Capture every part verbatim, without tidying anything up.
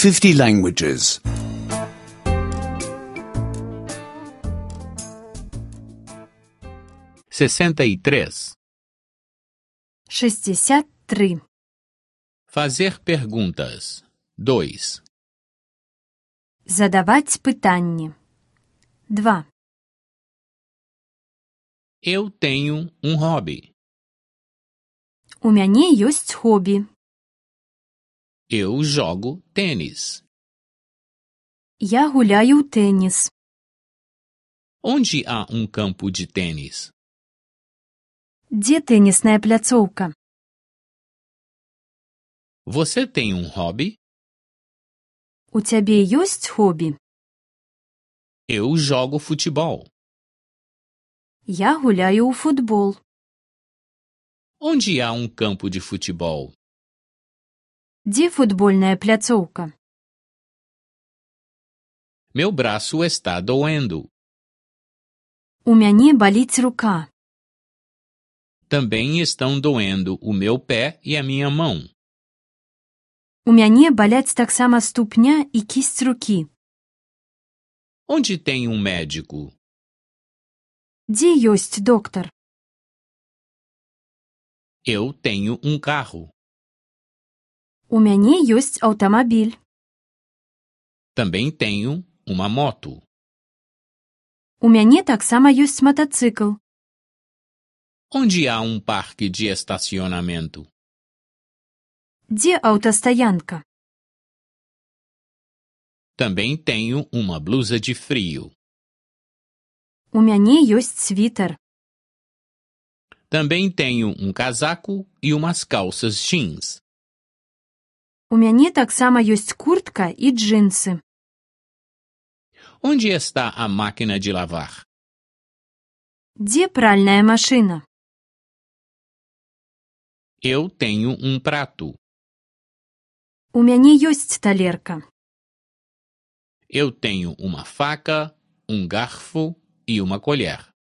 fifty languages. sessenta e três. шестьдесят три. Fazer perguntas. dois. Задавать питання. два. Eu tenho um hobby. У мяне ёсць хобі. Eu jogo tênis. Я гуляю ў тэніс. Onde há um campo de tênis? Дзе тэнісная пляцоўка? Você tem um hobby? У цябе ёсць хобі? Eu jogo futebol. Я гуляю ў футбол. Onde há um campo de futebol? Дзе футбольная пляцоўка? Meu braço está doendo. У мяне баліць рука. Também estão doendo o meu pé e a minha mão. У мяне баляць таксама ступня і кісць рукі. Onde tem um médico? Дзе ёсць доктар? Eu tenho um carro. У мяне ёсць аўтамабіль. Também tenho uma moto. У мяне таксама ёсць матацыкл. Onde há um parque de estacionamento? Дзе аўтастаянка? Também tenho uma blusa de frio. У мяне ёсць світар. Também tenho um casaco e umas calças jeans. У мяне таксама ёсць куртка і джинсы. Onde está a máquina de lavar? Дзе пральная машына? Eu tenho um prato. У мяне ёсць талерка. Eu tenho uma faca, um garfo e uma colher.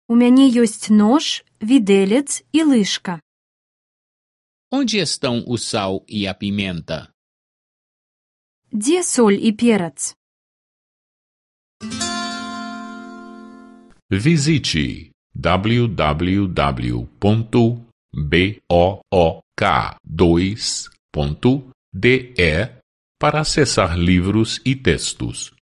У мяне ёсць нож, відэлец і лыжка. Onde estão o sal e a pimenta? Дзе соль і перац? Visite w w w ponto book dois ponto d e para acessar livros e textos.